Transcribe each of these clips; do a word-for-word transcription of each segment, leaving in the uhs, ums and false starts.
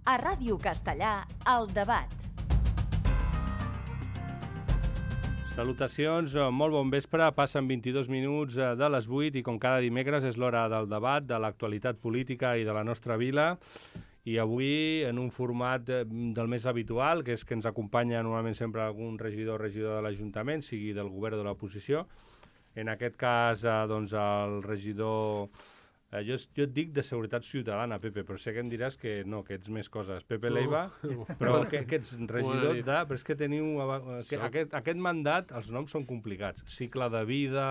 A Ràdio Castellà, El Debat. Salutacions, molt bon vespre. Passen vint-i-dos minuts de les vuit i com cada dimecres és l'hora del debat, de l'actualitat política i de la nostra vila. I avui en un format del més habitual, que és que ens acompanya normalment sempre algun regidor o regidor de l'Ajuntament, sigui del govern o de l'oposició. En aquest cas, doncs, el regidor... Eh, jo, jo et dic de Seguretat Ciutadana, Pepe, però sé que em diràs que no, que ets més coses. Pepe Leiva, no. Però que, que ets regidor de... Però és que teniu... Que, aquest, aquest mandat, els noms són complicats. Cicle de vida,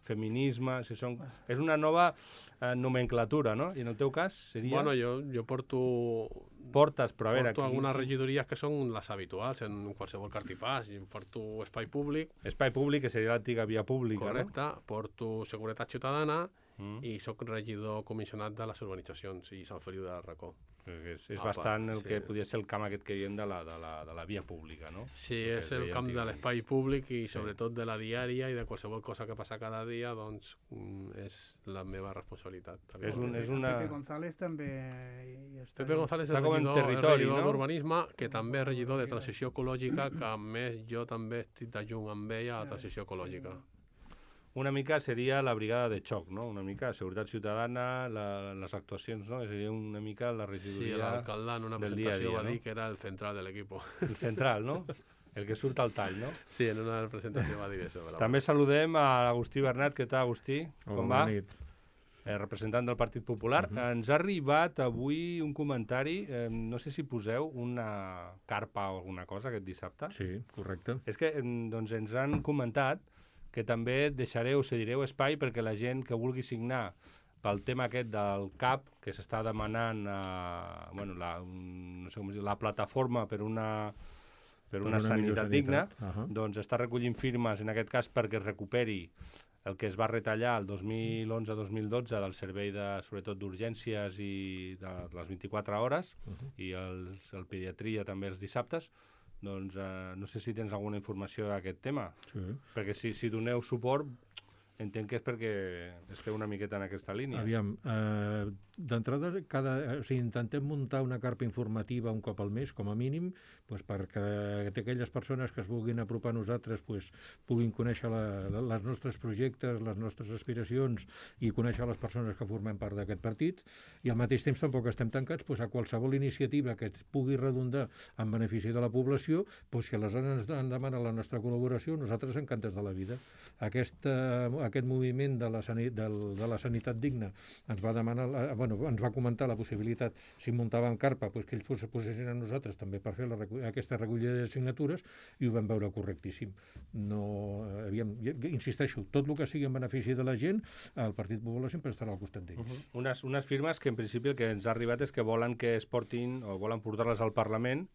feminisme... Si són, és una nova eh, nomenclatura, no? I en el teu cas seria... Bueno, jo, jo porto... Portes, però a veure... Porto aquí... algunes regidories que són les habituals en qualsevol cartipàs. I porto Espai Públic... Espai Públic, que seria l'antiga Via Pública, correcte, no? Porto Seguretat Ciutadana... Mm. I sóc regidor comissionat de les urbanitzacions i Sant Feliu de Racó. És, és Apa, bastant el sí. que podria ser el camp aquest que diem de la, de la, de la via pública, no? Sí, és el camp de l'espai públic i sobretot de la diària i de qualsevol cosa que passa cada dia, doncs és la meva responsabilitat. És, un, és una... Pepe González també hi està. Pepe González és regidor, territori, regidor no? d'urbanisme, que també és regidor de transició ecològica, que a més jo també estic d'adjunt amb ella a la transició ecològica. Una mica seria la brigada de xoc, no? Una mica Seguretat Ciutadana, la, les actuacions, no? Seria una mica la regidoria... Sí, l'alcalde en una presentació va dir que era el central de l'equip. El central, no? El que surt al tall, no? Sí, en una presentació va dir això. També saludem a l'Agustí Bernat. Què tal, Agustí? Hola, com va? Bona nit. Eh, representant del Partit Popular. Uh -huh. Ens ha arribat avui un comentari, eh, no sé si poseu una carpa o alguna cosa aquest dissabte. Sí, correcte. És que doncs, ens han comentat que també deixareu, cedireu espai perquè la gent que vulgui signar pel tema aquest del C A P, que s'està demanant eh, bueno, la, no sé com dir, la plataforma per una, per una, per una sanitat digna, uh -huh. doncs està recollint firmes, en aquest cas, perquè es recuperi el que es va retallar el dos mil onze dos mil dotze del servei, de, sobretot d'urgències i de les vint-i-quatre hores, uh -huh. i el, el pediatria també els dissabtes. Doncs eh, no sé si tens alguna informació d'aquest tema. Sí. Perquè si, si doneu suport, entenc que és perquè esteu una miqueta en aquesta línia. Aviam, eh, d'entrada, cada, o sigui, intentem muntar una carpa informativa un cop al mes, com a mínim, doncs perquè aquelles persones que es vulguin apropar a nosaltres doncs, puguin conèixer la, la, les nostres projectes, les nostres aspiracions i conèixer les persones que formem part d'aquest partit, i al mateix temps tampoc estem tancats doncs, a qualsevol iniciativa que pugui redundar en benefici de la població, doncs, si aleshores ens demana la nostra col·laboració, nosaltres encantats de la vida. Aquesta, aquest moviment de la, sani, de, de la sanitat digna ens va demanar, bueno, ens va comentar la possibilitat, si muntàvem carpa, doncs que ells es posessin a nosaltres també per fer la, aquesta recollida de signatures, i ho vam veure correctíssim. No, aviam, insisteixo, tot el que sigui en benefici de la gent, el Partit Popular sempre estarà al costat d'ells. Uh-huh. unes, unes firmes que en principi el que ens ha arribat és que volen que es portin o volen portar-les al Parlament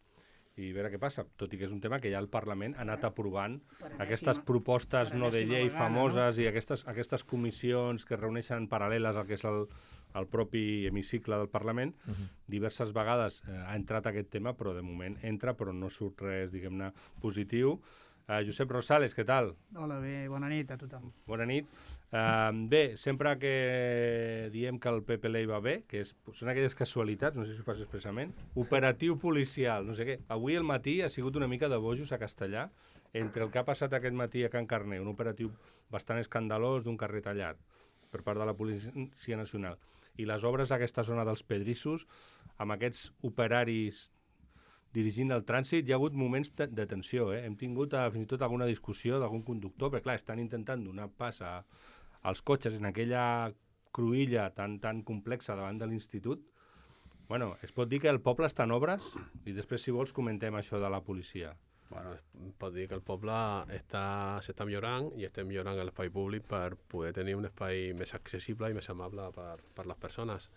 i veure què passa, tot i que és un tema que ja el Parlament ha anat aprovant aquestes propostes no de llei famoses i aquestes, aquestes comissions que es reuneixen paral·leles al que és el, el propi hemicicle del Parlament. Uh-huh. Diverses vegades eh, ha entrat aquest tema, però de moment entra, però no surt res, diguem-ne, positiu. Uh, Josep Rosales, què tal? Hola, bé, bona nit a tothom. Bona nit. Uh, bé, sempre que diem que el Pepe Ley va bé, que és, són aquelles casualitats, no sé si ho fas expressament, operatiu policial, no sé què. Avui al matí ha sigut una mica de bojos a Castellà, entre el que ha passat aquest matí a Can Carner, un operatiu bastant escandalós d'un carrer tallat per part de la Policia Nacional, i les obres d'aquesta zona dels Pedrissos, amb aquests operaris dirigint el trànsit, hi ha hagut moments de, de tensió. Eh? Hem tingut uh, fins i tot alguna discussió d'algun conductor, perquè clar, estan intentant donar pas a, als cotxes en aquella cruïlla tan, tan complexa davant de l'institut. Bueno, es pot dir que el poble està en obres? I després, si vols, comentem això de la policia. Bueno, es pot dir que el poble està, s'està millorant i estem millorant l'espai públic per poder tenir un espai més accessible i més amable per, per les persones.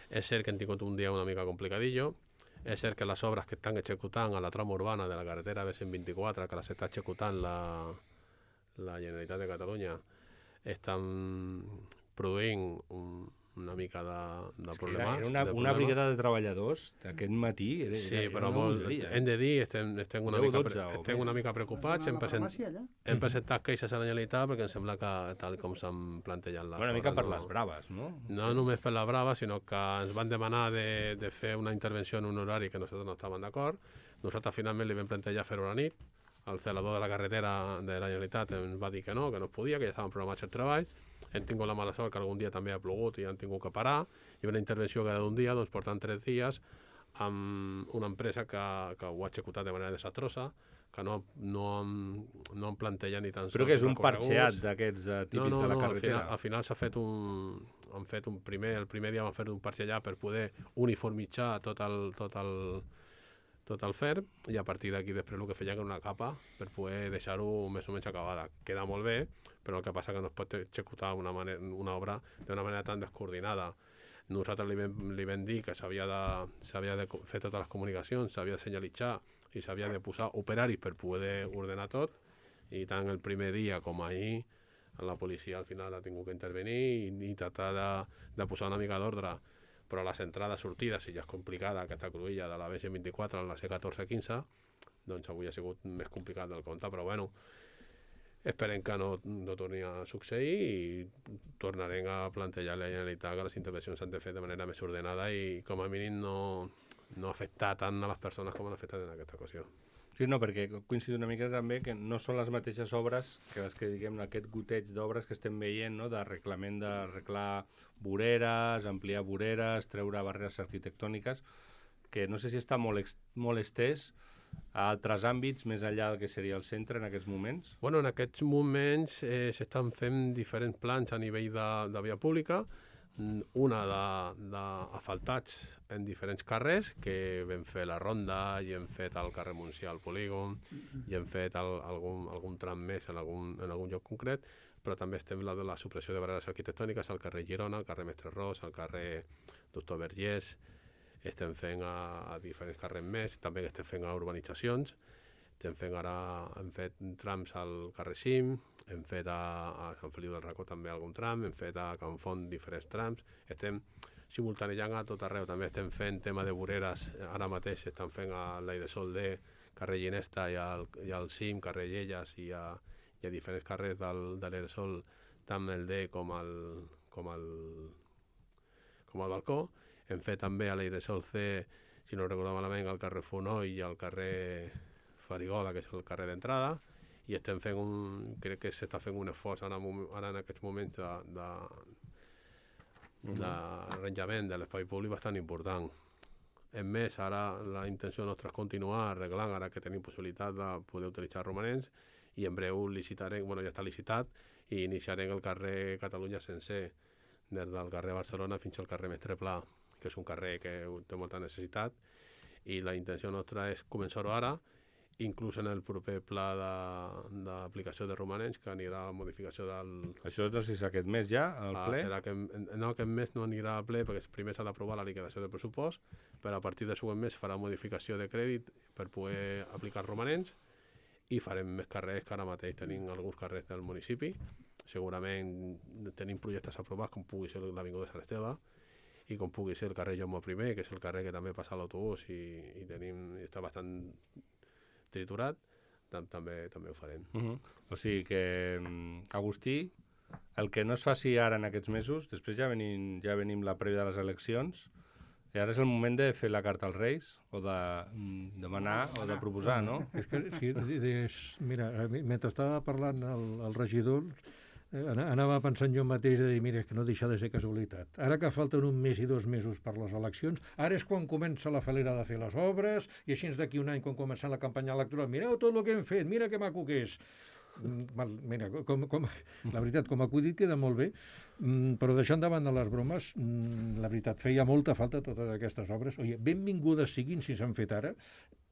És cert que hem tingut un dia una mica complicadillo. És cert que les obres que estan executant a la trama urbana de la carretera B cent vint-i-quatre, que les està executant la, la Generalitat de Catalunya, estan produint un, una mica de, de Era, problemes. era una, de una problemes. brigada de treballadors d'aquest matí. Era, Sí, era, però era molt, bogeria, hem de dir, estem, estem, una, deu, mica, dotze pre- o estem més. una mica preocupats, hem, a la present, farmàcia, allà? hem presentat queixes a la Generalitat perquè em sembla que tal com s'han plantejat les Una mica obres, per no- les braves, no? No només per la brava, sinó que ens van demanar de, de fer una intervenció en un horari que nosaltres no estàvem d'acord. Nosaltres finalment li vam plantejar fer-ho a la nit. El celador de la carretera de la Generalitat ens va dir que no, que no es podia, que ja estaven programats el treball. Hem tingut la mala sort que algun dia també ha plogut i han tingut que parar. I una intervenció cada un dia, doncs portant tres dies, amb una empresa que, que ho ha executat de manera desastrosa, que no, no, han, no han plantejat ni tan sols Però que és un recorreguts. parxeat d'aquests eh, típics no, no, de la no, carretera. Al final, al final s'ha fet un... Han fet un primer, el primer dia van fer un parxellar per poder uniformitzar tot el, tot el, tot el fer, i a partir d'aquí després el que feien era una capa per poder deixar-ho més o menys acabada. Queda molt bé, però el que passa que no es pot executar una, manera, una obra d'una manera tan descoordinada. Nosaltres li vam, li vam dir que s'havia de, s'havia de fer totes les comunicacions, s'havia de senyalitzar i s'havia de posar operaris per poder ordenar tot, i tant el primer dia com ahir la policia al final ha tingut que intervenir i, i tractar de, de posar una mica d'ordre. Però les entrades, sortides, si ja és complicada aquesta cruïlla de la B C vint-i-quatre a la C catorze quinze, doncs avui ha sigut més complicat del compte, però bueno, esperem que no, no torni a succeir i tornarem a plantejar a la Generalitat que les intervencions s'han de fer de manera més ordenada i com a mínim no, no afectar tant a les persones com han afectat en aquesta ocasió. Sí, no, perquè coincido una mica també que no són les mateixes obres que les que diguem aquest goteig d'obres que estem veient, no? De reglament d'arreglar voreres, ampliar voreres, treure barreres arquitectòniques, que no sé si està molt, ex molt estès a altres àmbits més enllà del que seria el centre en aquests moments. Bueno, en aquests moments eh, s'estan fent diferents plans a nivell de, de via pública, una d'asfaltats en diferents carrers, que vam fer la ronda i hem fet el carrer Montsià al polígon i hem fet el, algun, algun tram més en algun, en algun lloc concret, però també estem la de la supressió de barreres arquitectòniques al carrer Girona, al carrer Mestre Ros, al carrer Doctor Vergés, estem fent a, a diferents carrers més, també estem fent a urbanitzacions, estem fent ara, hem fet trams al carrer Cim, hem fet a, a Sant Feliu del Racó també algun tram, hem fet a Can Font diferents trams, estem simultanejant a tot arreu, també estem fent tema de voreres, ara mateix estan fent a l'Aidesol D, carrer Ginesta i al, i al Cim, carrer Llelles i a, i a diferents carrers del, de l'Aidesol, tant el D com el, com el, com el Balcó. Hem fet també a l'Aidesol C, si no recordo malament, al carrer Fonoll i al carrer Farigola, que és el carrer d'entrada, i estem fent un, crec que s'està fent un esforç ara, ara en aquests moments de, de, d'arranjament de l'espai públic bastant important. A més, ara la intenció nostra és continuar arreglant, ara que tenim possibilitat de poder utilitzar romanents, i en breu licitarem, bueno, ja està licitat, i iniciarem el carrer Catalunya sencer, des del carrer Barcelona fins al carrer Mestre Pla, que és un carrer que té molta necessitat, i la intenció nostra és començar-ho ara, inclús en el proper pla d'aplicació de, de romanents, que anirà a modificació del... Això no sé si és aquest mes ja, al ah, ple? Serà que, no, aquest mes no anirà al ple, perquè primer s'ha d'aprovar la liquidació del pressupost, però a partir del següent mes farà modificació de crèdit per poder aplicar romanents, i farem més carrers, que ara mateix tenim alguns carrers del municipi. Segurament tenim projectes aprovats, com pugui ser l'Avinguda Sant Esteve, i com pugui ser el carrer Jaume primer, que és el carrer que també passa l'autobús i, i tenim, està bastant triturat, tam també també ho farem. Uh -huh. O sigui que, Agustí, el que no es faci ara en aquests mesos, després ja venim, ja venim la prèvia de les eleccions, i ara és el moment de fer la carta als Reis, o de demanar, o de proposar, no? És que, sí, és, mira, mentre estava parlant el, el regidor, eh, anava pensant jo mateix de dir, mira, és que no deixa de ser casualitat. Ara que falten un mes i dos mesos per les eleccions, ara és quan comença la falera de fer les obres, i així d'aquí un any, quan comença la campanya electoral, mireu tot el que hem fet, mira que maco que és. Mal, mira, com, com, la veritat, com a acudit queda molt bé, però deixant de banda les bromes, la veritat, feia molta falta totes aquestes obres. Oye, benvingudes siguin si s'han fet ara,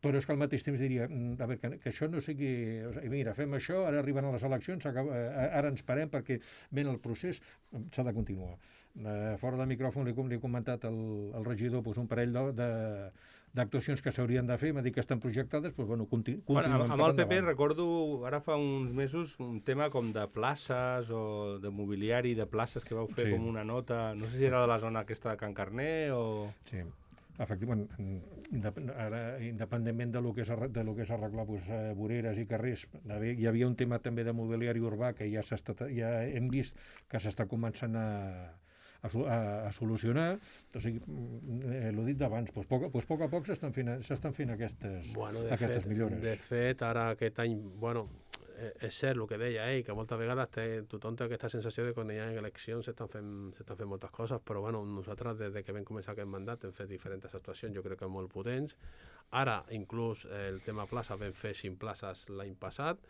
però és que al mateix temps diria, a veure, que, que això no sigui... O sigui, mira, fem això, ara arriben a les eleccions, acaba, ara ens parem perquè ben el procés s'ha de continuar. Uh, fora de micròfon li, li he comentat al, al regidor pues, un parell de, de, d'actuacions que s'haurien de fer, m'ha dit que estan projectades, doncs, bueno, conti Bueno, continuem amb, per amb el P P endavant. recordo, ara fa uns mesos, un tema com de places o de mobiliari de places que vau fer Sí. com una nota, no sé si era de la zona aquesta de Can Carner o... Sí. Efectivament, indep- ara, independentment de lo que és, arre- de lo que és arreglar pues, eh, voreres i carrers, hi havia un tema també de mobiliari urbà que ja, ja hem vist que s'està començant a, a, a, a solucionar. O sigui, eh, l'ho dit d'abans, doncs, poc, doncs, poc a poc s'estan fent, s'estan fent aquestes, Bueno, de aquestes fet, millores. de fet, ara aquest any, bueno, eh, és cert el que deia ell, que moltes vegades té, tothom té aquesta sensació de que quan hi ha eleccions s'estan fent, s'estan fent moltes coses, però bueno, nosaltres des de que vam començar aquest mandat hem fet diferents actuacions, jo crec que molt potents. Ara, inclús, eh, el tema plaça, vam fer cinc places l'any passat,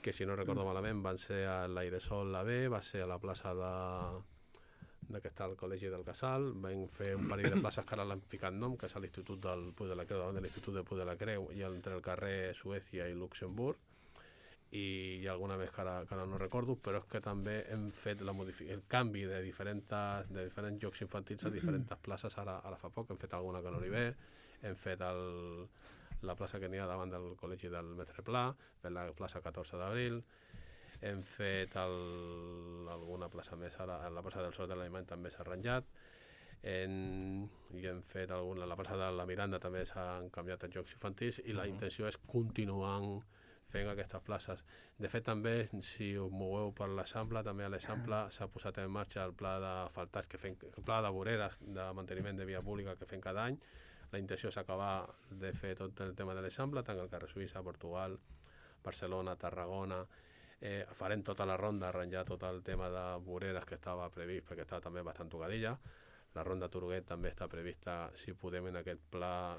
que si no recordo malament van ser a l'Airesol la B, va ser a la plaça de, de que està al Col·legi del Casal, vam fer un parell de places que ara l'han ficat nom, que és a l'Institut del Puig de la Creu, davant de l'Institut del Puig de la Creu, i entre el carrer Suècia i Luxemburg, i hi ha alguna més que ara, que ara no recordo, però és que també hem fet la el canvi de diferents, de diferents jocs infantils a diferents places ara, ara fa poc. Hem fet alguna que no li ve, hem fet el, la plaça que n'hi ha davant del Col·legi del Mestre Pla, fet la plaça catorze d'abril, hem fet el, alguna plaça més ara, la plaça del Sol de l'Alemany també s'ha arranjat, en, i hem fet alguna, la plaça de la Miranda també s'han canviat els jocs infantils i la uh-huh. intenció és continuar fent aquestes places. De fet, també, si us moveu per l'Eixample, també a l'Eixample s'ha posat en marxa el pla d'asfaltats, que fem, el pla de voreres de manteniment de via pública que fem cada any. La intenció és acabar de fer tot el tema de l'Eixample, tant el carrer Suïssa, Portugal, Barcelona, Tarragona. Eh, farem tota la ronda, arranjar tot el tema de voreres que estava previst, perquè estava també bastant tocadilla. La ronda Turuguet també està prevista, si podem en aquest pla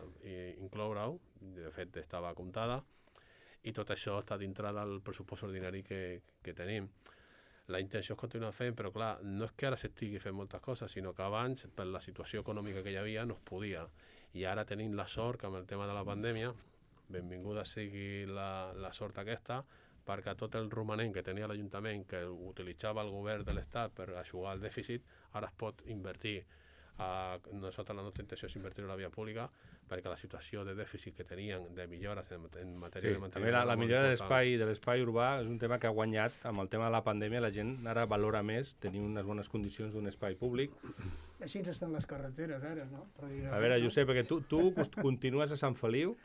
incloure-ho, de fet estava comptada, i tot això està dintre del pressupost ordinari que, que tenim. La intenció és continuar fent, però clar, no és que ara s'estigui fent moltes coses, sinó que abans, per la situació econòmica que hi havia, no es podia. I ara tenim la sort que amb el tema de la pandèmia, benvinguda sigui la, la sort aquesta, perquè tot el romanent que tenia l'Ajuntament, que utilitzava el govern de l'Estat per aixugar el dèficit, ara es pot invertir. Uh, nosaltres la nostra intenció és invertir en la via pública, perquè la situació de dèficit que tenien de millores en, en matèria sí, de manteniment... També la, la millora de l'espai de l'espai urbà és un tema que ha guanyat amb el tema de la pandèmia. La gent ara valora més tenir unes bones condicions d'un espai públic. Així estan les carreteres ara, no? Però a veure, Josep, perquè tu, tu continues a Sant Feliu.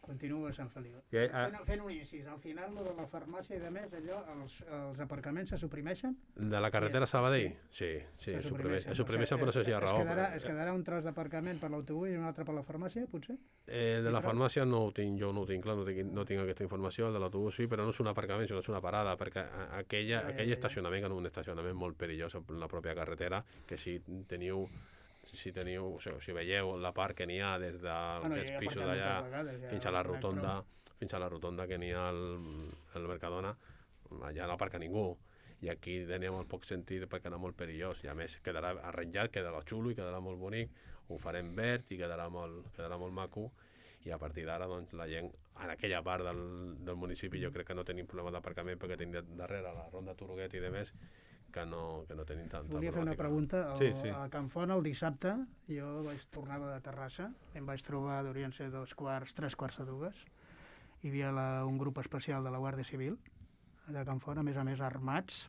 Continuo a Sant Feliu. Que, ah... fent, fent un incís, al final de la farmàcia i de més, allò, els, els aparcaments se suprimeixen? De la carretera Sabadell? Sí, sí, es suprimeixen, suprimeixen per això hi ha raó. Es quedarà, es quedarà un tros d'aparcament per l'autobús i un altre per la farmàcia, potser? Eh, de la farmàcia no ho tinc, jo no ho tinc clar, no tinc, no tinc aquesta informació, el de l'autobús sí, però no és un aparcament, sinó és una parada, perquè aquella, ja, ja, aquell ja. estacionament és un estacionament molt perillós en la pròpia carretera, que si teniu... si teniu, o sigui, si veieu la part que n'hi ha des d'aquests bueno, pisos d'allà ja fins a la rotonda, fins a la rotonda que n'hi ha al, al Mercadona, allà no aparca ningú. I aquí tenia molt poc sentit perquè era molt perillós. I a més quedarà arranjat, quedarà xulo i quedarà molt bonic, ho farem verd i quedarà molt, quedarà molt maco. I a partir d'ara, doncs, la gent, en aquella part del, del municipi, jo crec que no tenim problema d'aparcament perquè tenim darrere la ronda Turuguet i de més, que no, que no tenim tanta Volia fer una pregunta. El, sí, sí. A Can Font el dissabte jo vaig tornava de Terrassa, em vaig trobar, deurien ser dos quarts, tres quarts de dues. Hi havia la, un grup especial de la Guàrdia Civil de Can Font, a més a més armats,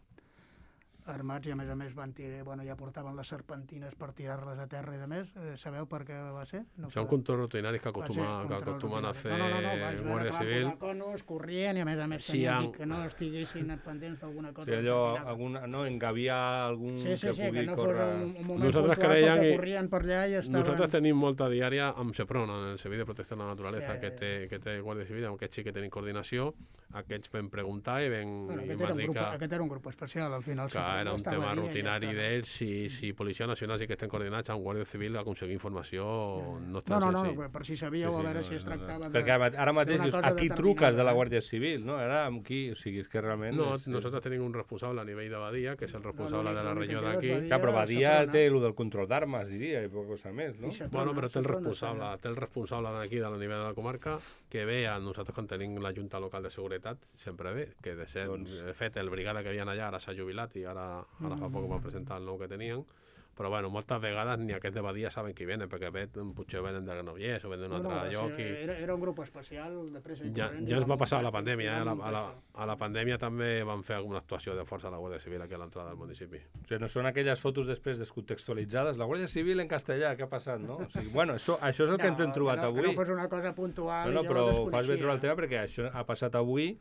armats i a més a més van tirar, bueno, ja portaven les serpentines per tirar-les a terra i de més. Eh, sabeu per què va ser? No Són controls rutinaris que, acostuma, que acostumen a fer no, no, no, no, Guàrdia Civil. Conos, corrien i a més a més sí, tenien que no estiguessin pendents d'alguna cosa. Sí, allò, alguna, no, engaviar algun sí, sí, que sí, pugui que no córrer... Un, un moment nosaltres puntual creiem que corrien per allà i estaven... Nosaltres tenim molta diària amb SEPRON, el Servei de Protecció de la Naturalesa, sí, que, té, que té Guàrdia Civil, amb aquests sí que tenim coordinació, aquests vam preguntar i vam... Bueno, i aquest, era un grup, que, aquest era un grup especial, al final. que era un tema rutinari d'ells, si, si Policia Nacional sí que estem coordinats amb Guàrdia Civil, aconseguir informació no és tan no, no, senzill. no, per si sabíeu, Sí, sí, a veure no, si es no, no. tractava de... Perquè ara mateix dius, a qui determinada, truques de la eh? Guàrdia Civil, no? Ara amb qui, o sigui, és que realment... No, és, nosaltres és... tenim un responsable a nivell de Badia, que és el responsable No, no, de la no, regió no, no, d'aquí. no, Clar, però Badia Seprona. té el del control d'armes, diria, i poca cosa més, no? I Seprona, Bueno, però té el Seprona, responsable, Seprona. té el responsable d'aquí, de la nivell de la comarca, que ve a nosaltres quan tenim la Junta Local de Seguretat, sempre ve, que de, ser, Doncs- de fet el brigada que havia allà ara s'ha jubilat i ara ara, ara fa poc van presentar el nou que tenien, però bueno, moltes vegades ni aquests de Badia saben qui venen, perquè vet, potser venen de Granollers o venen d'un No, altre no, lloc. sí, I... era, era un grup especial de pressa i Ja, corrents. ja i ens va vam passar a la muntar- pandèmia, i eh? a, vam la, a, muntar la, això. a la pandèmia també van fer alguna actuació de força a la Guàrdia Civil aquí a l'entrada del municipi. O sigui, no són aquelles fotos després descontextualitzades. La Guàrdia Civil en castellà, què ha passat, no? O sigui, bueno, això, això és el que ens hem trobat que no, avui. Que no fos una cosa puntual. No, no, jo però ho fas bé desconeixia. trobar el tema perquè això ha passat avui,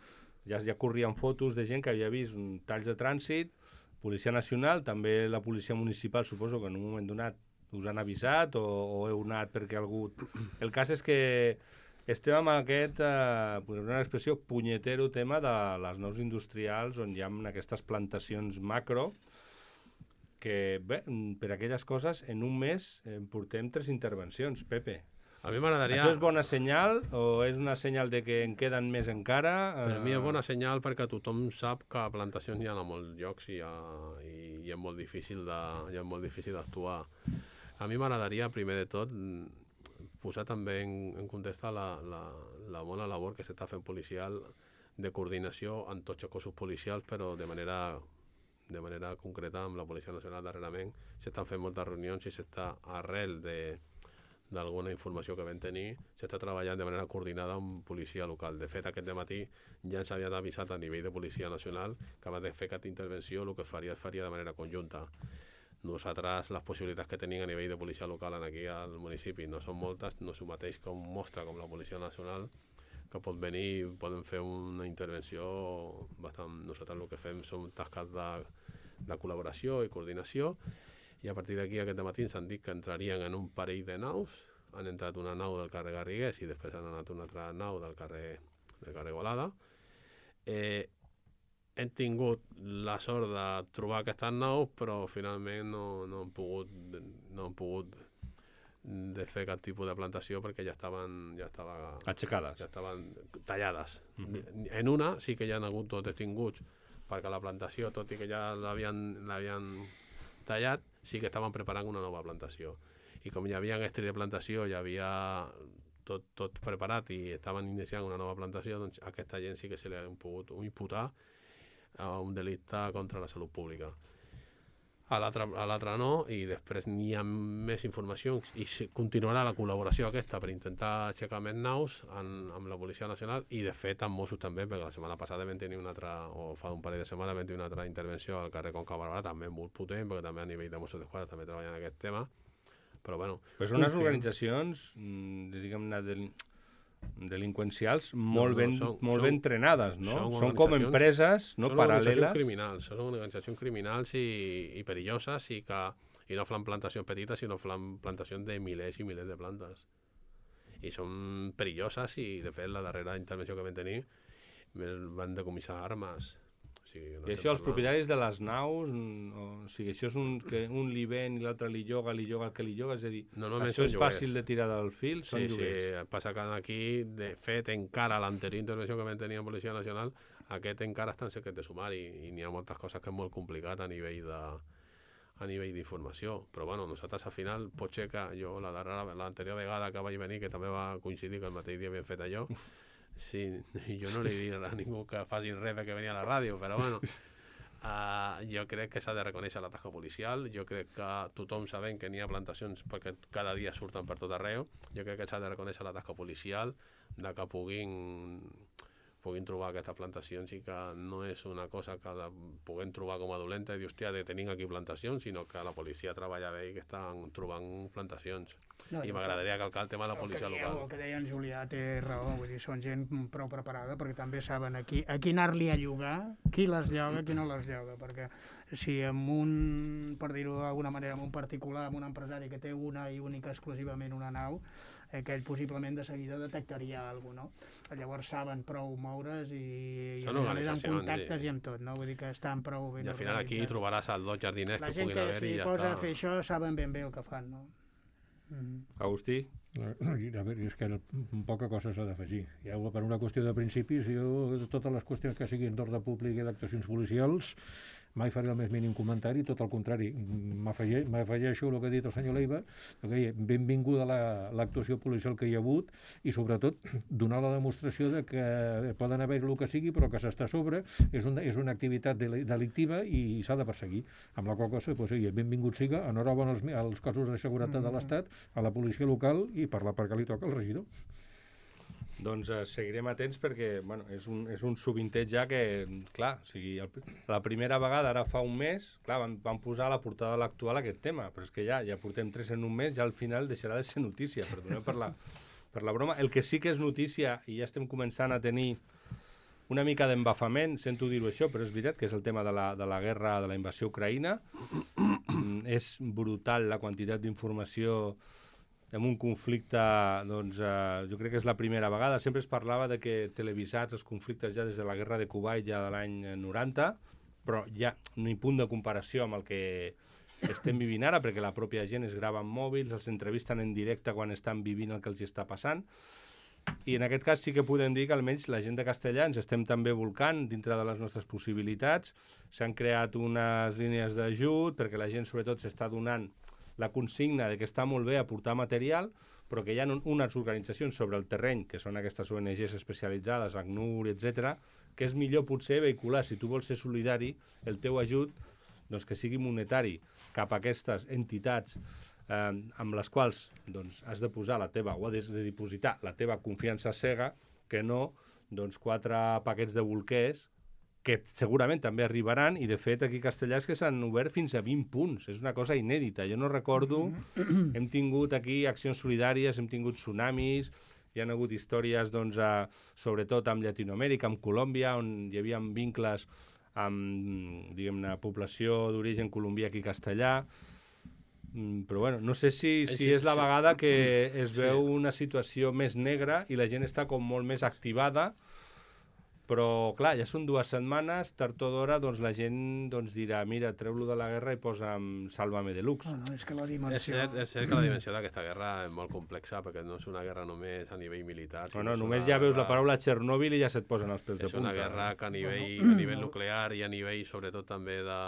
ja, ja corrien fotos de gent que havia vist un talls de trànsit, Policia Nacional, també la Policia Municipal, suposo que en un moment donat us han avisat o, o heu anat perquè algú... El cas és que estem amb aquest, eh, una expressió, punyetero tema de les naus industrials on hi ha aquestes plantacions macro que, bé, per aquelles coses, en un mes en portem tres intervencions, Pepe. A mi m'agradaria... Això és bona senyal o és una senyal de que en queden més encara? Per mi és bona senyal perquè tothom sap que plantacions hi ha a molts llocs i, ha, i, i és molt difícil de, i és molt difícil d'actuar. A mi m'agradaria, primer de tot, posar també en, en context la, la, la bona labor que s'està fent policial de coordinació amb tots els cossos policials, però de manera, de manera concreta amb la Policia Nacional darrerament. S'estan fent moltes reunions i s'està arrel de d'alguna informació que vam tenir, s'està treballant de manera coordinada amb policia local. De fet, aquest dematí ja ens havien avisat a nivell de Policia Nacional que abans de fer aquesta intervenció el que faria es faria de manera conjunta. Nosaltres, les possibilitats que tenim a nivell de policia local aquí al municipi no són moltes, no és el mateix que un mostre com la Policia Nacional, que pot venir i poden fer una intervenció bastant... Nosaltres el que fem són tasques de, de col·laboració i coordinació, i a partir d'aquí aquest matí ens han dit que entrarien en un parell de naus. Han entrat una nau del carrer Garrigués i després han anat una altra nau del carrer, del carrer Golada. Eh, hem tingut la sort de trobar aquestes naus, però finalment no, no han pogut, no han pogut de fer cap tipus de plantació perquè ja estaven, ja estava, Aixecades. ja estaven tallades. Mhm. En una sí que ja han hagut tots detinguts perquè la plantació, tot i que ja l'havien l'havien tallat, sí que estaven preparant una nova plantació. I com hi havia estri de plantació, hi havia tot, tot preparat i estaven iniciant una nova plantació, doncs a aquesta gent sí que se li ha pogut imputar a un delicte contra la salut pública. A l'altre no, i després n'hi ha més informació i continuarà la col·laboració aquesta per intentar aixecar més naus amb, amb la Policia Nacional i de fet amb Mossos també, perquè la setmana passada vam tenir una altra, o fa un parell de setmanes vam tenir una altra intervenció al carrer Conca Barberà, també molt potent, perquè també a nivell de Mossos d'Esquadra també treballen en aquest tema, però bueno... Però són unes organitzacions, diguem-ne, del... delinqüencials molt, no, no, ben, són, molt són, ben entrenades, no? Són, són com empreses no, són paral·leles. Organitzacions criminals, són organitzacions criminals i, i perilloses i, que, i no fan plantacions petites, sinó fan plantacions de milers i milers de plantes. I són perilloses i, de fet, la darrera intervenció que vam tenir van decomissar armes. O sigui, no I això, els propietaris de les naus, o, o sigui, això és un, que un li ven i l'altre li lloga, li lloga el que li lloga, és a dir, això és fàcil de tirar del fil, són sí, lloguers. Sí, passa que aquí, de fet, encara l'anterior intervenció que vam tenir en Policia Nacional, aquest encara està en secret de sumari i n'hi ha moltes coses que és molt complicat a nivell de a nivell d'informació, però bueno, nosaltres al final pot ser que jo la darrera, l'anterior vegada que vaig venir, que també va coincidir que el mateix dia havien fet allò, sí, jo no li dic a ningú que faci res perquè venia a la ràdio, però bueno, uh, jo crec que s'ha de reconèixer la tasca policial, jo crec que tothom sabem que n'hi ha plantacions perquè cada dia surten per tot arreu, jo crec que s'ha de reconèixer la tasca policial, de que puguin puguin trobar aquestes plantacions i que no és una cosa que la puguem trobar com a dolenta i dir, hòstia, de tenim aquí plantacions, sinó que la policia treballa bé i que estan trobant plantacions. No, I m'agradaria calcar el tema de la policia el que local. El que deia en Julià té raó, vull dir, són gent prou preparada perquè també saben aquí, a qui anar-li a llogar, qui les lloga, qui no les lloga, perquè si amb un, per dir-ho d'alguna manera, amb un particular, amb un empresari que té una i única exclusivament una nau, aquell possiblement de seguida detectaria alguna cosa, no? Llavors saben prou moure's i, i amb contactes sí. I amb tot, no? Vull dir que estan prou ben organitzats. I al final aquí trobaràs els dos jardiners que puguin haver i ja està. La gent que s'hi posa a fer això saben ben bé el que fan, no? Mm-hmm. Agustí? A veure, és que poca cosa s'ha d'afegir. Ja, per una qüestió de principis, jo, totes les qüestions que siguin d'ordre públic i d'actuacions policials, mai faré el més mínim comentari, tot el contrari, m'afege- m'afegeixo el que ha dit el senyor Leiva, que benvinguda la- l'actuació policial que hi ha hagut i sobretot donar la demostració de que poden haver el que sigui però que s'està a sobre, és una, és una activitat deli- delictiva i s'ha de perseguir, amb la qual cosa, pues, sí, benvingut siga, enhorabona als, als cossos de seguretat de l'Estat, a la policia local i per la part que li toca al regidor. Doncs eh, seguirem atents perquè bueno, és, un, és un subintet ja que, clar, o sigui, el, la primera vegada, ara fa un mes, clar, van, van posar a la portada de l'actual aquest tema, però és que ja ja portem tres en un mes, ja al final deixarà de ser notícia, perdoneu per la, per la broma. El que sí que és notícia, i ja estem començant a tenir una mica d'embafament, sento dir-ho això, però és veritat que és el tema de la, de la guerra, de la invasió ucraïna. És brutal la quantitat d'informació en un conflicte, doncs, eh, jo crec que és la primera vegada. Sempre es parlava de que televisats els conflictes ja des de la guerra de Kuwait, ja de l'any noranta, però ja ni punt de comparació amb el que estem vivint ara, perquè la pròpia gent es grava amb mòbils, els entrevisten en directe quan estan vivint el que els està passant. I en aquest cas sí que podem dir que almenys la gent de Castellà ens estem també volcant dintre de les nostres possibilitats. S'han creat unes línies d'ajut perquè la gent sobretot s'està donant la consigna de que està molt bé aportar material, però que hi ha un, unes organitzacions sobre el terreny, que són aquestes O N Ges especialitzades, ACNUR, etcètera, que és millor potser vehicular, si tu vols ser solidari, el teu ajut, doncs que sigui monetari cap a aquestes entitats eh, amb les quals doncs, has de posar la teva, o has de dipositar la teva confiança cega, que no doncs, quatre paquets de bolquers que segurament també arribaran, i de fet aquí a Castellà és que s'han obert fins a vint punts, és una cosa inèdita. Jo no recordo, hem tingut aquí accions solidàries, hem tingut tsunamis, hi ha hagut històries, doncs, a, sobretot amb Llatinoamèrica, amb Colòmbia, on hi havia vincles amb, diguem-ne, població d'origen colombià aquí a Castellà. Mm, però bueno, no sé si, si Sí, és la sí. vegada que es Sí. veu una situació més negra i la gent està com molt més activada, però clar, ja són dues setmanes, tard o d'hora doncs la gent doncs, dirà, mira, treu-lo de la guerra i posa'm Sálvame Deluxe. No, no, és que la És dimensió... cert, és cert que la dimensió d'aquesta guerra és molt complexa, perquè no és una guerra només a nivell militar. sinó Bueno, és només una ja veus la guerra- paraula Txernòbil i ja se't posen els pèls de És punta. una guerra que a nivell, a nivell nuclear i a nivell sobretot també de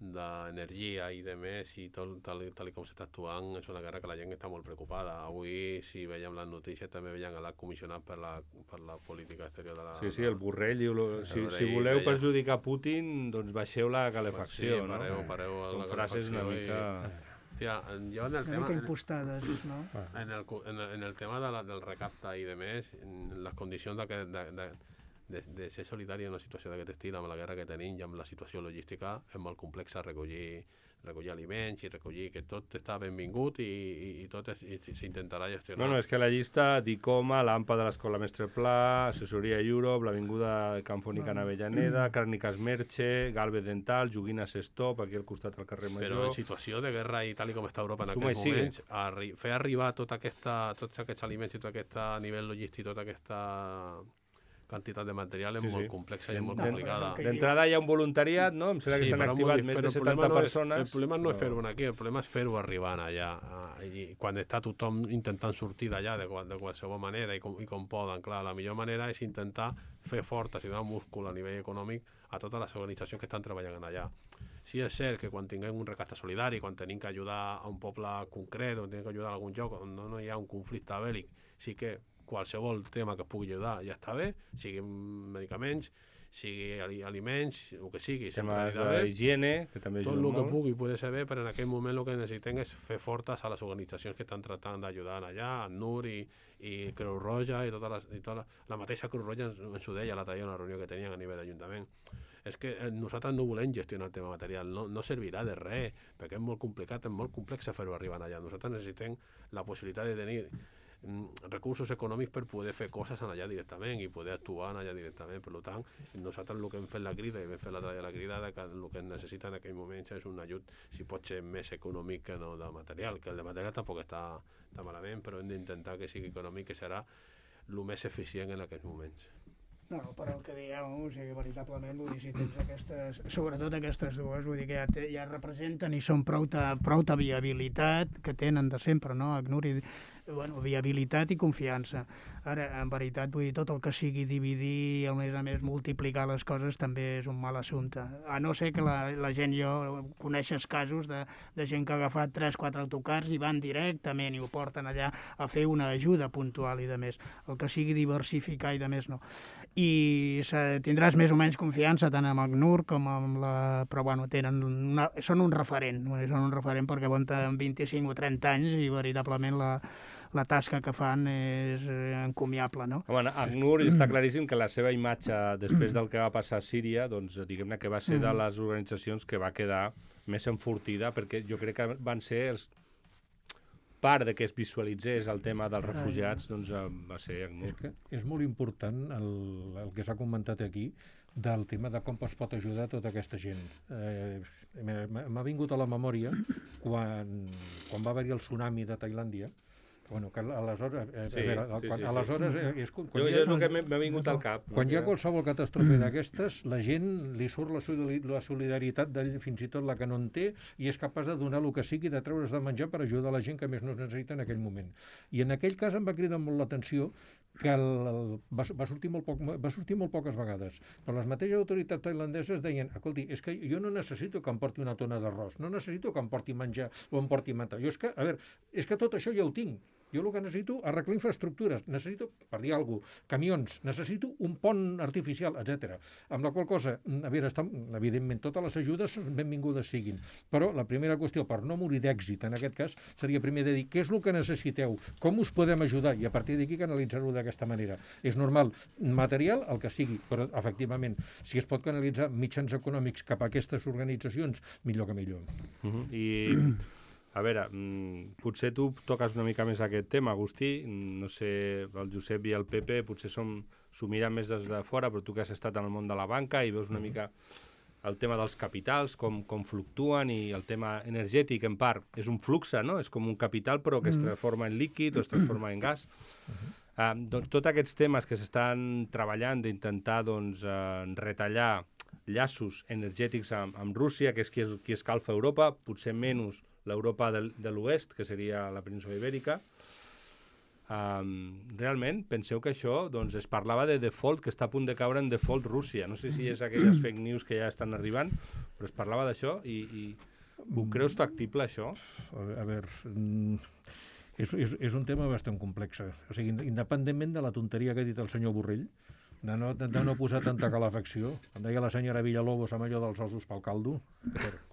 d'energia i de més, i tot, tal, tal i com s'està actuant, és una guerra que la gent està molt preocupada. Avui, si veiem les notícies, també veiem l'alt comissionat per la, per la política exterior de la... Sí, sí, el Borrell diu, lo, si, Borrell si voleu deia- perjudicar Putin, doncs baixeu la calefacció, Sí, pareu, no? pareu a Són la frases una calefacció mica... i- Hòstia, jo en el Una tema... mica impostades, no? En el, cu- en el, en el tema de la, del recapte i de més, en les condicions de, que, de, de, de, de ser solidari en una situació d'aquest estil, amb la guerra que tenim i amb la situació logística, és molt complexa recollir, recollir aliments i recollir que tot està benvingut i, i, i tot és- i s'intentarà gestionar. No, no, és que la llista d'Icoma, l'AMPA de l'Escola Mestre Pla, Assessoria Europe, l'Avinguda Canfònica en Avellaneda, Càrniques Merche, Galvez Dental, Joguines Stop, aquí al costat del carrer Però Major... en situació de guerra i tal i com està Europa en Suma i aquests sigue. moments, arri fer arribar tota aquesta, tots aquests aliments i tot aquest a nivell logístic, tota aquesta quantitat de material és Sí, molt sí. complexa i és molt Den- complicada. D'entrada hi ha un voluntariat, no? Em sembla que s'han però activat molt dif- més però de el problema setanta no és- persones. El problema no és però- fer-ho aquí, el problema és fer-ho arribant allà. ah, I quan està tothom intentant sortir d'allà de, qual- de qualsevol manera i com, i com poden. Clar, la millor manera és intentar fer fortes i donar múscul a nivell econòmic a totes les organitzacions que estan treballant allà. Sí és cert que quan tinguem un recapte solidari, quan tenim que ajudar a un poble concret, o tenim que ajudar a algun lloc on no, no hi ha un conflicte bèl·lic, sí que qualsevol tema que es pugui ajudar ja està bé, sigui medicaments, sigui ali- aliments, el que sigui, sempre Temes anirà bé. d'higiene, que també Tot ajuden el que molt. pugui poder ser bé, però en aquell moment el que necessitem és fer fortes a les organitzacions que estan tractant d'ajudar allà, el N U R i, i Creu Roja, i tota, les, i tota la, la mateixa Creu Roja ens, ens ho deia l'altre dia en una reunió que tenien a nivell d'Ajuntament. És que eh, nosaltres no volem gestionar el tema material, no, no servirà de res, perquè és molt complicat, és molt complex fer-ho arribar allà. Nosaltres necessitem la possibilitat de tenir mm, recursos econòmics per poder fer coses allà directament i poder actuar allà directament. Per tant, nosaltres el que hem fet la crida i hem fet l'altre dia la crida de que el que es necessita en aquell moment és un ajut, si pot ser més econòmic que no de material, que el de material tampoc està, està malament, però hem d'intentar que sigui econòmic, que serà el més eficient en aquests moments. No, però el que dieu, o sigui, veritablement, vull dir, si tens aquestes, sobretot aquestes dues, vull dir que ja, te, ja representen i són prou ta, prou ta viabilitat que tenen de sempre, no? ACNUR i, bueno, viabilitat i confiança. Ara, en veritat, vull dir, tot el que sigui dividir i, a més a més, multiplicar les coses també és un mal assumpte. A no ser que la, la gent, jo coneixes casos de, de gent que ha agafat tres quatre autocars i van directament i ho porten allà a fer una ajuda puntual i de més. El que sigui diversificar i de més no. I tindràs més o menys confiança tant amb ACNUR com amb la... Però, bueno, tenen una... són un referent, són un referent perquè aguanten vint-i-cinc o trenta anys i veritablement la, la tasca que fan és encomiable, no? Bueno, ACNUR està claríssim que la seva imatge després del que va passar a Síria, doncs diguem-ne que va ser de les organitzacions que va quedar més enfortida, perquè jo crec que van ser els part de que es visualitzés el tema dels refugiats, doncs va ser ACNUR. És que és molt important el, el que s'ha comentat aquí del tema de com es pot ajudar tota aquesta gent. Eh, M'ha vingut a la memòria quan, quan va haver-hi el tsunami de Tailàndia, bueno, que aleshores... Eh, sí, a veure, sí, quan, sí, aleshores sí. És, quan jo, hi ha, jo és el que m'ha vingut al cap. Quan hi ha qualsevol catàstrofe d'aquestes, la gent li surt la, la solidaritat d'ell, fins i tot la que no en té, i és capaç de donar el que sigui, de treure's de menjar per ajudar la gent que més no es necessita en aquell moment. I en aquell cas em va cridar molt l'atenció que el, el, va, va, sortir molt poc, va sortir molt poques vegades. Però les mateixes autoritats tailandeses deien, escolti, és que jo no necessito que em porti una tona d'arròs, no necessito que em porti menjar o em porti menjar. Jo és que, a veure, és que tot això ja ho tinc. Jo el que necessito arreglar infraestructures, necessito, per dir alguna cosa, camions, necessito un pont artificial, etcètera. Amb la qual cosa, a veure, està, evidentment, totes les ajudes benvingudes siguin, però la primera qüestió, per no morir d'èxit en aquest cas, seria primer de dir què és el que necessiteu, com us podem ajudar, i a partir d'aquí canalitzar-ho d'aquesta manera. És normal, material, el que sigui, però efectivament, si es pot canalitzar mitjans econòmics cap a aquestes organitzacions, millor que millor. Uh-huh. I... A veure, potser tu toques una mica més aquest tema, Agustí, no sé, el Josep i el Pepe potser s'ho miren més des de fora, però tu que has estat en el món de la banca i veus una mica el tema dels capitals, com, com fluctuen, i el tema energètic, en part, és un flux, no? És com un capital, però que es transforma en líquid o es transforma en gas. Uh, doncs, tots aquests temes que s'estan treballant d'intentar doncs, uh, retallar llaços energètics amb, amb Rússia, que és qui, qui escalfa Europa, potser menys l'Europa de, de l'oest, que seria la península ibèrica. Um, realment, penseu que això, doncs, es parlava de default, que està a punt de caure en default Rússia. No sé si és aquelles fake news que ja estan arribant, però es parlava d'això i, i ho creus factible, això? A veure, és, és, és un tema bastant complex. O sigui, independentment de la tonteria que ha dit el senyor Borrell, de no, de, de no posar tanta calefacció, em deia la senyora Villalobos amb allò dels ossos pel caldo,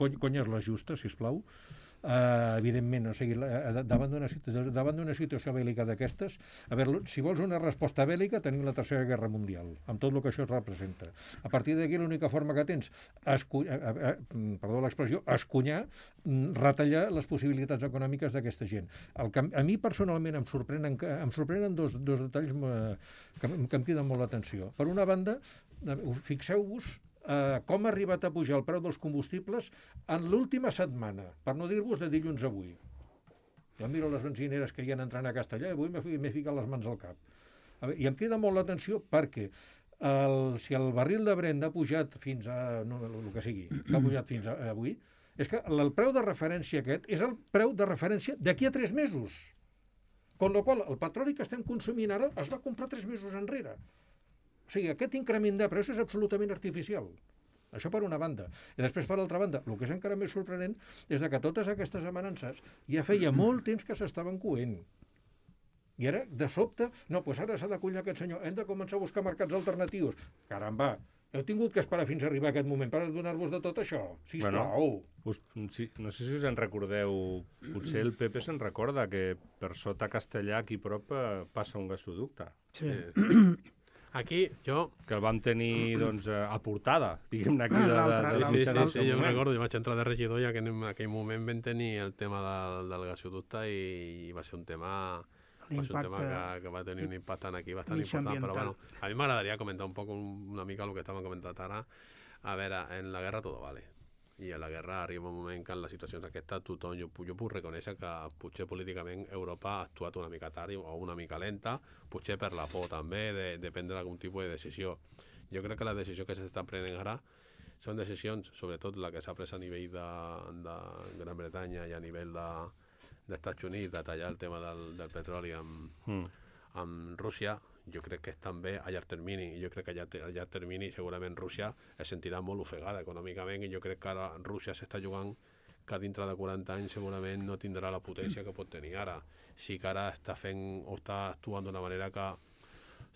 cony, conyes les justes, sisplau. Uh, evidentment, o sigui, davant d'una davant d'una situació bèl·lica d'aquestes, a veure, si vols una resposta bèl·lica, tenim la Tercera Guerra Mundial, amb tot el que això es representa. A partir d'aquí, l'única forma que tens, escu... uh, uh, perdó l'expressió, escunyar, retallar les possibilitats econòmiques d'aquesta gent. El que a mi personalment em sorprenen, em sorprenen dos, dos detalls uh, que, que em criden molt l'atenció. Per una banda, fixeu-vos Uh, com ha arribat a pujar el preu dels combustibles en l'última setmana, per no dir-vos de dilluns a avui. Jo miro les benzineres que hi ha entrant a Castellà i avui m'he ficat les mans al cap. A veure, i em crida molt l'atenció perquè el, si el barril de Brent ha pujat fins a... no, el que sigui, que ha pujat fins a, a avui, és que el preu de referència aquest és el preu de referència d'aquí a tres mesos. Con la qual el petroli que estem consumint ara es va comprar tres mesos enrere. O sigui, aquest increment de preus és absolutament artificial. Això per una banda. I després, per l'altra banda, el que és encara més sorprenent és que totes aquestes amenances ja feia molt temps que s'estaven coent. I ara, de sobte, no, doncs ara s'ha d'acollir aquest senyor, hem de començar a buscar mercats alternatius. Caramba, heu tingut que esperar fins a arribar a aquest moment per adonar-vos de tot això? Sisplau. Bueno, us, sí, no sé si us en recordeu, potser el Pepe se'n recorda que per sota Castellà, aquí prop, passa un gasoducte. Sí. Eh, Aquí, jo... que el vam tenir, doncs, a portada, diguem-ne, aquí. De, Ah, de, Sí, de, sí, de, sí, sí, jo em recordo, jo vaig entrar de regidor ja que en aquell moment vam tenir el tema del, del gasoducte i, i va ser un tema, va ser un tema que, que va tenir un impacte aquí bastant important, però bueno, a mi m'agradaria comentar un poc una mica el que estàvem comentant ara. A veure, en la guerra todo vale. I a la guerra arriba un moment que en les situacions aquestes tothom, jo, jo puc reconèixer que potser políticament Europa ha actuat una mica tard o una mica lenta, potser per la por també de, de prendre algun tipus de decisió. Jo crec que la decisió que s'està prenent ara són decisions, sobretot la que s'ha pres a nivell de, de Gran Bretanya i a nivell de, d'Estats Units de tallar el tema del, del petroli amb, mm. amb Rússia, jo crec que és també a llarg termini, i jo crec que a llarg, a llarg termini segurament Rússia es sentirà molt ofegada econòmicament, i jo crec que ara Rússia s'està jugant que dintre de quaranta anys segurament no tindrà la potència que pot tenir ara. Sí que ara està fent o està actuant d'una manera que,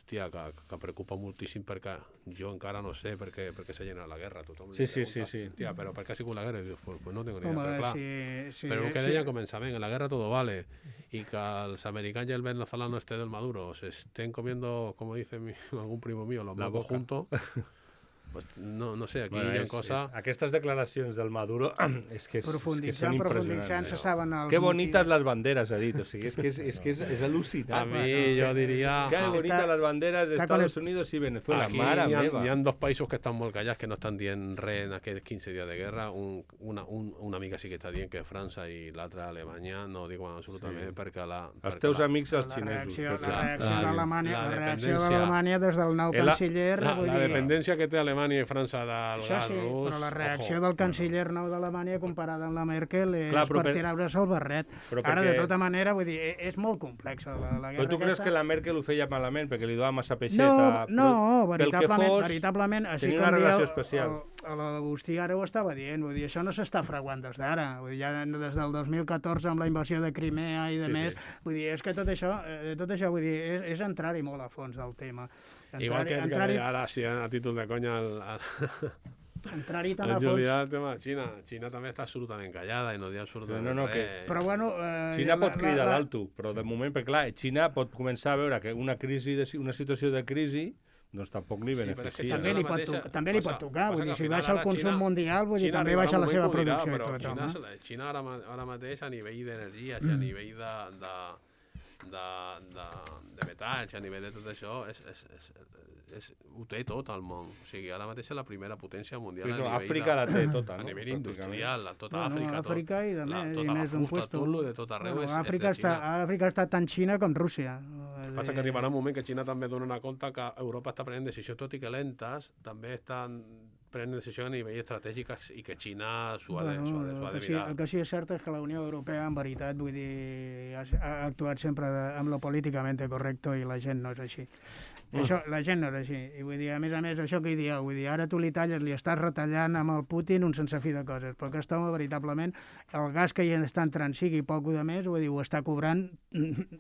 hòstia, que, que preocupa moltíssim, perquè jo encara no sé per què, per què s'ha generat la guerra. Tothom sí, sí, sí, sí. Hòstia, però per què ha sigut la guerra? I dius, pues, pues no tengo ni idea, Home, però clar. sí, sí, però el que sí. deia al començament, en la guerra todo vale, y que els americanos y el venezolano este del Maduro se estén comiendo, como dice mi, algún primo mío, los mocos juntos. Pues no, no sé, aquí bueno, hi ha és, coses... És, aquestes declaracions del Maduro és que, és, és que són profunditzant, se impressionants. saben els Que bonites motius. les banderes, ha dit. O sigui, és que és, és, que és, és al·lucinant. A mi jo diria... Que bonites les banderes d'Estats con Units i Venezuela. Aquí Mare hi ha, meva. hi ha dos països que estan molt callats, que no estan dient res en aquests quinze dies de guerra. Un, una, un, una mica sí que està dient, que és França, i l'altra Alemanya, no diuen absolutament, Sí. perquè la... Els perquè teus la, amics, els La xinesos. reacció, perquè- la reacció la- d'Alemanya, la la reacció dependència- d'Alemanya des del nou Eh, la- canciller, la, vull la dir... dependència que té Alemanya i França del Això gas sí, rus... però la reacció ojo. del canciller nou d'Alemanya comparada amb la Merkel és Clar, però per per- tirar-se el barret. però Ara, de perquè- tota manera, vull dir, e- és molt complexa la, la guerra Però tu creus aquesta. que la Merkel ho feia malament perquè li donava massa peixeta? No, no, Però pel que veritablement, fos, veritablement, així tenia com una dia relació el- especial. el- el- l'Agustí ara ho estava dient, vull dir, això no s'està fraguant des d'ara, vull dir, ja des del dos mil catorze amb la invasió de Crimea i de Sí, més, sí. vull dir, és que tot això, eh, tot això vull dir, és, és entrar-hi molt a fons del tema. Igual que el que entrar-hi deia ara, sí, a títol de conya, el, el, entrar-hi tan el a fons... Julià, el tema de Xina. Xina també està absolutament callada i no diu absolutament No, no, res. que- Però bueno... Eh, Xina la- pot cridar la- l'alto, però de moment, perquè clar, Xina pot començar a veure que una crisi, de, una situació de crisi, doncs tampoc li Sí, però és que beneficia. També Xina li pot, mateixa- to- també li pot passa- tocar, passa vull que dir, al si final baixa el ara consum Xina- mundial, vull dir, Xina també arribarà baixa un la moment seva que ho dirà, producció i però tot, Xina, home. se la- Xina ara, ma- ara mateix, a nivell d'energies i a nivell de, de, de, de, de metalls, a nivell de tot això, és, és, és, és, ho té tot el món. O sigui, ara mateix és la primera potència mundial Sí, a no, nivell, Àfrica de, la té tota, a no? nivell Pràcticament. industrial, a tota Bueno, Àfrica. Àfrica tot, i de la, més, i tota més la d'un fusta, puesto. tot lo de tot arreu Bueno, és, Àfrica, és de està, Xina. Àfrica està tan Xina com Rússia. Passa que arribarà un moment que Xina també dona compte que Europa està prenent decisions, tot i que lentes, també estan prenent decisions a nivell estratègic i que Xina s'ho ha, de, s'ho ha, de, s'ho ha el, de que sí, mirar. el que sí és cert és que la Unió Europea, en veritat, vull dir, ha, ha actuat sempre de, amb lo políticament correcte i la gent no és així. I això, la gent no és així. I vull dir, a més a més, això que hi dieu, vull dir, ara tu li talles, li estàs retallant amb el Putin un sense fi de coses, però aquest home, veritablement, el gas que hi està entrant, sigui poc o de més, vull dir, ho està cobrant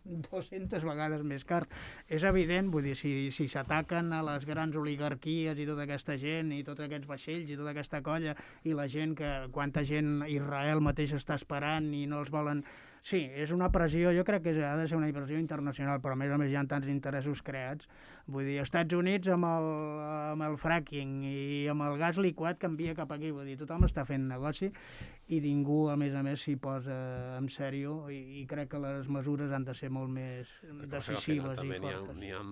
dues-centes vegades més car. És evident, vull dir, si si s'ataquen a les grans oligarquies i tota aquesta gent, i tots aquests vaixells, i tota aquesta colla, i la gent que, quanta gent Israel mateix està esperant i no els volen... Sí, és una pressió, jo crec que ha de ser una pressió internacional, però a més a més hi ha tants interessos creats. Vull dir, Estats Units amb el, amb el fracking i amb el gas liquat canvia cap aquí, vull dir, tothom està fent negoci i ningú, a més a més, s'hi posa en sèrio i, i crec que les mesures han de ser molt més decisives i També n'hi ha, fortes. n'hi ha,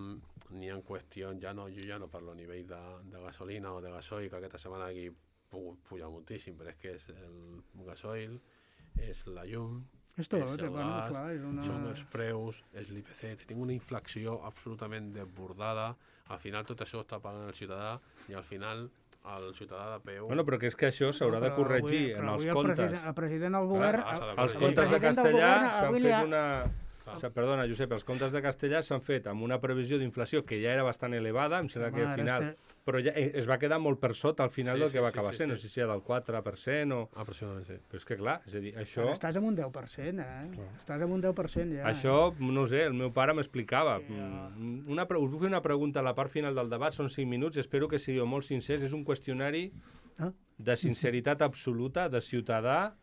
n'hi ha qüestions, ja no, jo ja no parlo a nivell de, de gasolina o de gasoil, que aquesta setmana aquí pu- puja moltíssim, però és que és el gasoil, és la llum, És tot, és el bueno, gas, clar, és una... són els preus, és l'I P C, tenim una inflació absolutament desbordada, al final tot això està pagant el ciutadà i al final el ciutadà de peu... Bueno, però que és que això s'haurà de Però corregir avui- en però els avui el comptes. president- El president del govern... Clar, s'ha de Els corregir. comptes de president del castellà govern s'han avui li fet ha- una... O sigui, perdona, Josep, els comptes de castellà s'han fet amb una previsió d'inflació que ja era bastant elevada, em sembla que Home, al ara final... este- Però ja eh, es va quedar molt per sota al final Sí, del sí, que va sí, acabar sí, sent, sí. no sé si era del quatre per cent o... Aproximadament, sí. Però és que clar, és a dir, això... Ara estàs amb un deu per cent, eh? Estàs amb un deu per cent ja. Això, no ho sé, el meu pare m'explicava. Mm, Una, pre- us vull fer una pregunta a la part final del debat, són cinc minuts, espero que sigueu molt sincers. És un qüestionari Ah. de sinceritat absoluta, de ciutadà,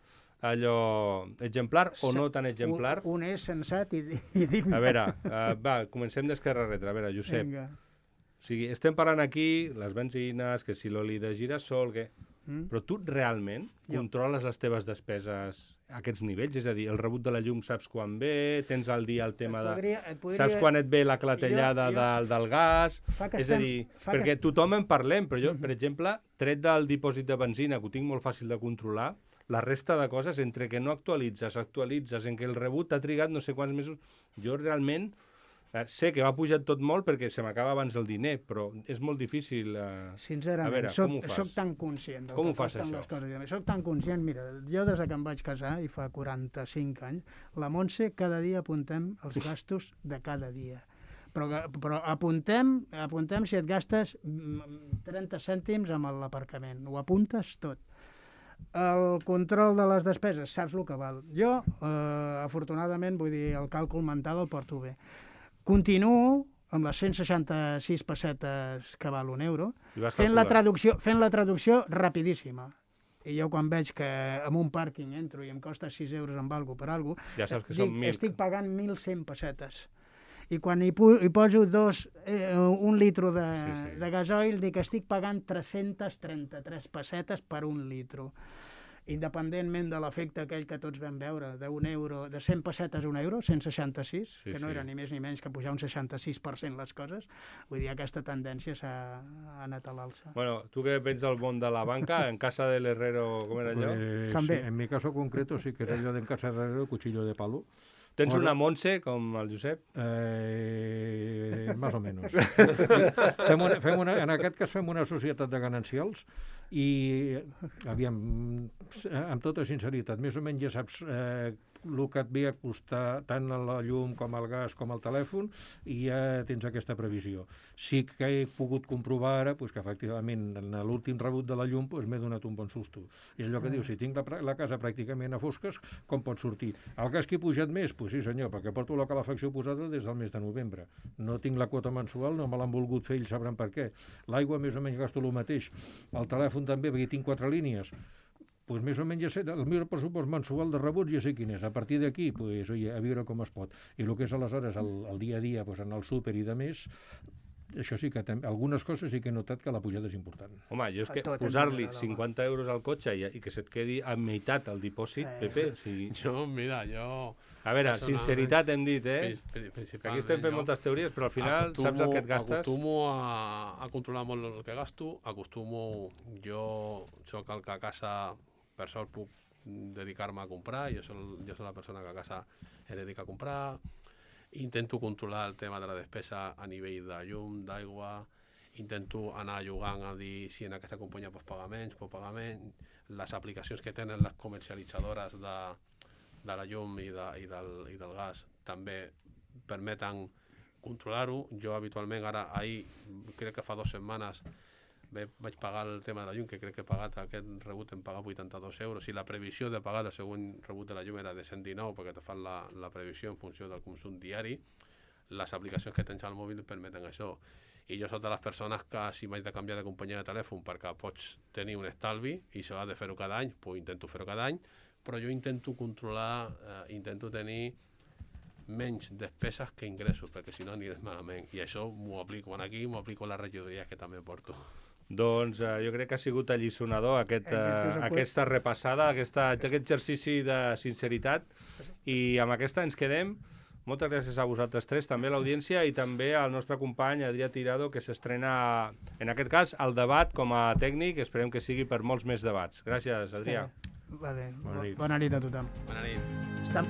allò exemplar o no tan exemplar. Un, un és sensat i, i digne. A veure, uh, va, comencem d'esquerra a retre. A veure, Josep, Vinga. o sigui, estem parlant aquí, les benzines, que si l'oli de girassol, que... Mm? Però tu realment Jo. controles les teves despeses a aquests nivells? És a dir, el rebut de la llum saps quan ve, tens al dia el tema de... podria, et podria... Saps quan et ve la clatellada Jo- jo- del, del gas? Fa que És a estem- dir, fa que perquè est- tothom en parlem, però jo, per exemple, tret del dipòsit de benzina, que ho tinc molt fàcil de controlar, la resta de coses, entre que no actualitzes, actualitzes, en què el rebut t'ha trigat no sé quants mesos, jo realment Eh, sé que va pujar tot molt perquè se m'acaba abans el diner, però és molt difícil... Eh... Sincerament, a veure, soc, com ho fas? soc tan conscient del Com que ho fas, costen això? les coses. Soc tan conscient, mira, jo des que em vaig casar, i fa quaranta-cinc anys, la Montse cada dia apuntem els gastos de cada dia. Però, però apuntem, apuntem si et gastes trenta cèntims amb l'aparcament. Ho apuntes tot. El control de les despeses, saps el que val. Jo, eh, afortunadament, vull dir, el càlcul mental el porto bé. Continuo amb les cent seixanta-sis pessetes que val un euro, fent la, traducció, fent la traducció rapidíssima. I jo quan veig que en un pàrquing entro i em costa sis euros amb algo per algo, ja saps que dic, són mil. Estic pagant mil cent pessetes. I quan hi, pu hi poso dos, eh, un litro de, sí, sí. de gasoil, dic que estic pagant tres-centes trenta-tres pessetes per un litro. Independentment de l'efecte aquell que tots vam veure, d'un euro, de cent pessetes a un euro, cent seixanta-sis, sí, que no sí. era ni més ni menys que pujar un seixanta-sis per cent les coses, vull dir, aquesta tendència s'ha anat a l'alça. Bueno, tu que vens del món de la banca, en casa del herrero, com era allò? Pues, També. En mi caso concreto sí que és allò d'en casa del herrero, cuchillo de palo. Tens Bueno, una Montse, com el Josep? Eh, más o menos. fem una, fem una, en aquest cas fem una societat de ganancials i, aviam, amb tota sinceritat, més o menys ja saps eh, el que et ve a costar tant la llum com el gas com el telèfon i ja tens aquesta previsió. Sí que he pogut comprovar ara pues, que efectivament en l'últim rebut de la llum pues, m'he donat un bon susto. I allò que diu, si tinc la, la casa pràcticament a fosques, com pot sortir? El gas que he pujat més? Pues sí senyor, perquè porto la calefacció posada des del mes de novembre. No tinc la quota mensual, no me l'han volgut fer, ells sabran per què. L'aigua més o menys gasto el mateix. El telèfon també, perquè tinc quatre línies. Pues més o menys ja sé, el meu pressupost mensual de rebuts ja sé quin és. A partir d'aquí, pues, oye, a veure com es pot. I el que és aleshores el, el dia a dia, pues, en el súper i de més, això sí que algunes coses sí que he notat que la pujada és important. Home, jo és que posar-li cinquanta euros al cotxe i, i que se't quedi a meitat el dipòsit, eh. Pepe, o sigui... Jo, mira, jo... A veure, sinceritat hem dit, eh? Que aquí estem fent moltes teories, però al final acostumo, saps el que et gastes? Acostumo a, a controlar molt el que gasto, acostumo... Jo soc el que a casa, per sort, puc dedicar-me a comprar, jo soc, jo soc la persona que a casa es dedica a comprar, intento controlar el tema de la despesa a nivell de llum, d'aigua, intento anar jugant a dir si en aquesta companyia pots pagar menys, pots pagar menys, les aplicacions que tenen les comercialitzadores de, de la llum i, de, i, del, i del gas també permeten controlar-ho. Jo habitualment ara, ahir, crec que fa dues setmanes, vaig pagar el tema de la llum, que crec que he pagat aquest rebut, hem pagat vuitanta-dos euros, i la previsió de pagar el següent rebut de la llum era de cent dinou, perquè te fan la, la previsió en funció del consum diari. Les aplicacions que tens al mòbil permeten això. I jo soc de les persones que si m'haig de canviar de companyia de telèfon perquè pots tenir un estalvi i s'ha de fer-ho cada any, pues intento fer-ho cada any, però jo intento controlar, eh, intento tenir menys despeses que ingressos, perquè si no aniré malament. I això m'ho aplico aquí, m'ho aplico a les regidories que també porto. Doncs eh, jo crec que ha sigut alliçonador aquest, eh, aquesta repassada, aquesta, aquest exercici de sinceritat, i amb aquesta ens quedem. Moltes gràcies a vosaltres tres, també a l'audiència i també al nostre company Adrià Tirado, que s'estrena, en aquest cas, el debat com a tècnic. Esperem que sigui per molts més debats. Gràcies, Adrià. Vale. Bona nit. Bona nit a tothom. Bona nit. Està...